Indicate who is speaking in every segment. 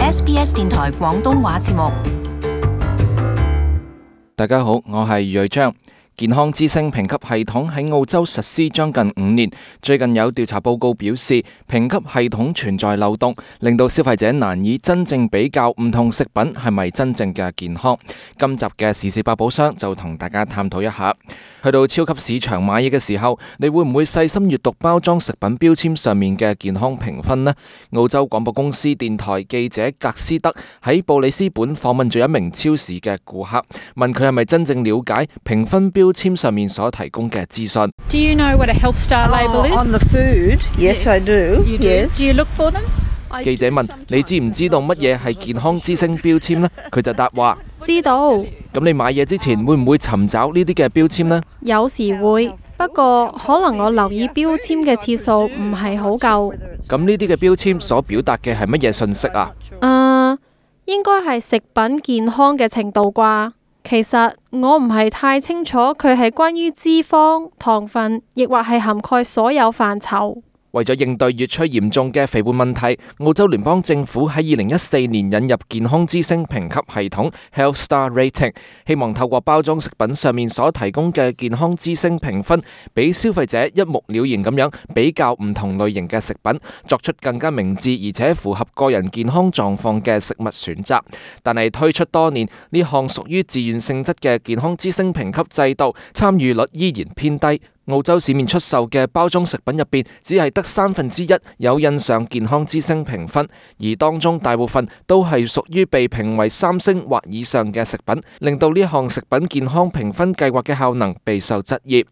Speaker 1: SBS 電台廣東話節目。
Speaker 2: 大家好，我係余瑞章。健康之星評級系統喺澳洲實施將近5年，最近有調查報告表示，評級系統存在漏洞，令到消費者難以真正比較唔同食品係咪真正嘅健康。今集嘅時事百寶箱就同大家探討一下。去到超級市場買嘢嘅時候，你會唔會細心閱讀包裝食品標籤上面嘅健康評分呢？澳洲廣播公司電台記者格斯德喺布里斯本訪問咗一名超市嘅顧客，問佢係咪真正了解評分標籤上面所提供嘅資訊。
Speaker 3: Do you know what a health star label is?
Speaker 4: On the food, yes, I do.
Speaker 3: You do?
Speaker 4: Yes.
Speaker 3: Do you look for them?
Speaker 2: 記者問：你知唔知道乜嘢係健康之星標籤呢？佢就答話：
Speaker 5: 知道。
Speaker 2: 咁你買嘢之前會唔會尋找呢啲嘅標籤呢？
Speaker 5: 有時會，不過可能我留意標籤嘅次數唔係好夠。
Speaker 2: 咁呢啲嘅標籤所表達嘅係乜嘢信息啊？
Speaker 5: 應該係食品健康嘅程度啩。其實我唔係太清楚佢係關於脂肪、糖分，亦或係涵蓋所有範疇。
Speaker 2: 為咗應對越趨嚴重嘅肥胖問題，澳洲聯邦政府喺2014年引入健康之星評級系統 Health Star Rating， 希望透過包裝食品上面所提供嘅健康之星評分，俾消費者一目了然咁樣比較唔同類型嘅食品，作出更加明智而且符合個人健康狀況嘅食物選擇。但係推出多年，呢項屬於自願性質嘅健康之星評級制度，參與率依然偏低。澳洲市面出售嘅包裝食品入邊，只係得1/3有印上健康之星評分，而當中大部分都係屬於被評為3星或以上嘅食品，令到呢項食品健康評分計劃嘅效能備受質疑。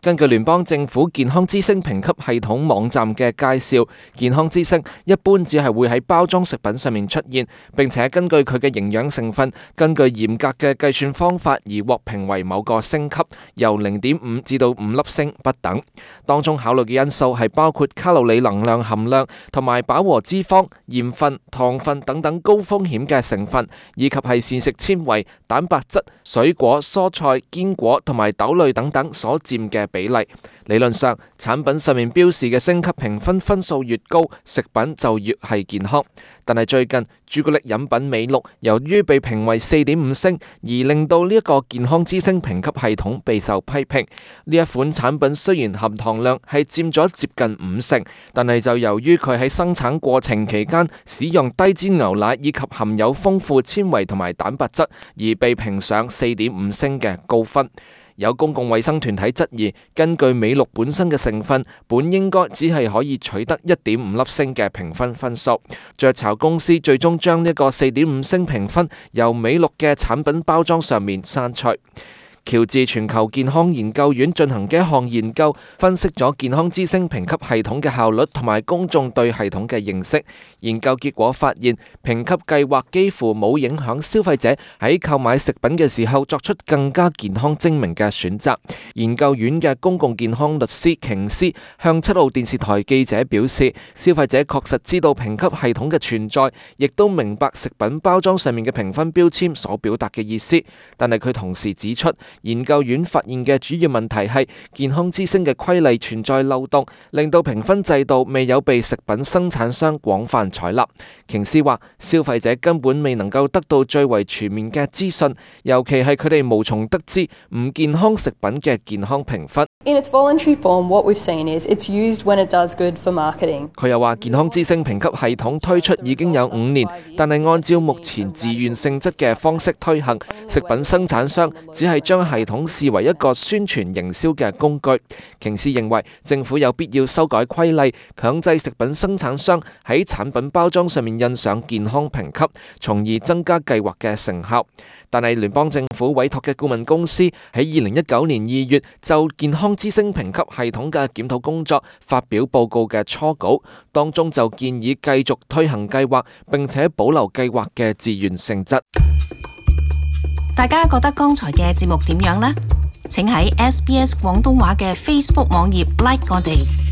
Speaker 2: 根據聯邦政府健康之星評級系統網站嘅介紹，健康之星一般只係會喺包裝食品上面出現，並且根據佢嘅營養成分，根據嚴格嘅計算方法而獲評為某個星級，由0.5至到5粒星不等。當中考慮嘅因素係包括卡路里能量含量同埋飽和脂肪、鹽分、糖分等等高風險嘅成分，以及係膳食纖維、蛋白質、水果、蔬菜、堅果同埋豆類等等所佔嘅比例。理論上，產品上面標示嘅星級評分分數越高，食品就越係健康。但係最近朱古力飲品美祿由於被評為4.5星，而令到呢一個健康之星評級系統備受批評。呢一款產品雖然含糖量係佔咗接近50%，但係就由於佢喺生產過程期間使用低脂牛奶以及含有豐富纖維同埋蛋白質，而被評上4.5星嘅高分。有公共衛生團體質疑，根據美祿本身嘅成分，本應該只係可以取得1.5粒星嘅評分分數。雀巢公司最終將呢個4.5星評分由美祿嘅產品包裝上面刪除。喬治全球健康研究院進行嘅一項研究，分析咗健康之星評級系統嘅效率同埋公眾對系統嘅認識。研究結果發現，評級計劃幾乎冇影響消費者喺購買食品嘅時候作出更加健康精明嘅選擇。研究院嘅公共健康律師瓊斯向7號電視台記者表示，消費者確實知道評級系統嘅存在，亦都明白食品包裝上面嘅評分標籤所表達嘅意思。但係佢同時指出，研究院發現嘅主要問題係健康之星嘅規例存在漏洞，令到評分制度未有被食品生產商廣泛採納。瓊斯話，消費者根本未能夠得到最為全面嘅資訊，尤其係佢哋無從得知唔健康食品嘅健康評分。
Speaker 6: In its voluntary form, what we've seen is it's used when it does good for marketing.
Speaker 2: 佢又話，健康之星評級系統推出已經有5年，但係按照目前自願性質嘅方式推行，食品生產商只係將系統視為一個宣傳營銷嘅工具。瓊斯認為政府有必要修改規例，強制食品生產商喺產品包裝上面印上健康評級，從而增加計劃嘅成效。但係聯邦政府委託嘅顧問公司喺2019年2月就健康之星評級系統嘅檢討工作發表報告嘅初稿，當中就建議繼續推行計劃，並且保留計劃嘅自願性質。
Speaker 1: 大家覺得剛才嘅節目點樣呢？請喺 SBS 廣東話嘅 Facebook 網頁 like 我哋。